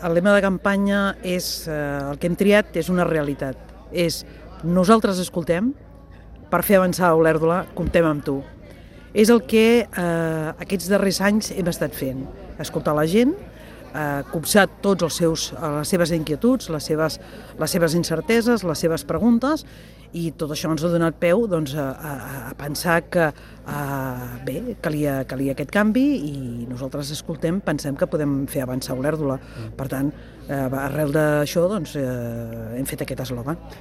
el lema de campanya és, el que hem triat és una realitat. És nosaltres escoltem, per fer avançar Olèrdola comptem amb tu. És el que aquests darrers anys hem estat fent. Escoltar la gent, copsar tots les seves inquietuds, les seves incerteses, les seves preguntes, i tot això ens ha donat peu a pensar que calia aquest canvi, i nosaltres escoltem, pensem que podem fer avançar Olèrdola. Per tant, arrel d'això hem fet aquest eslògan.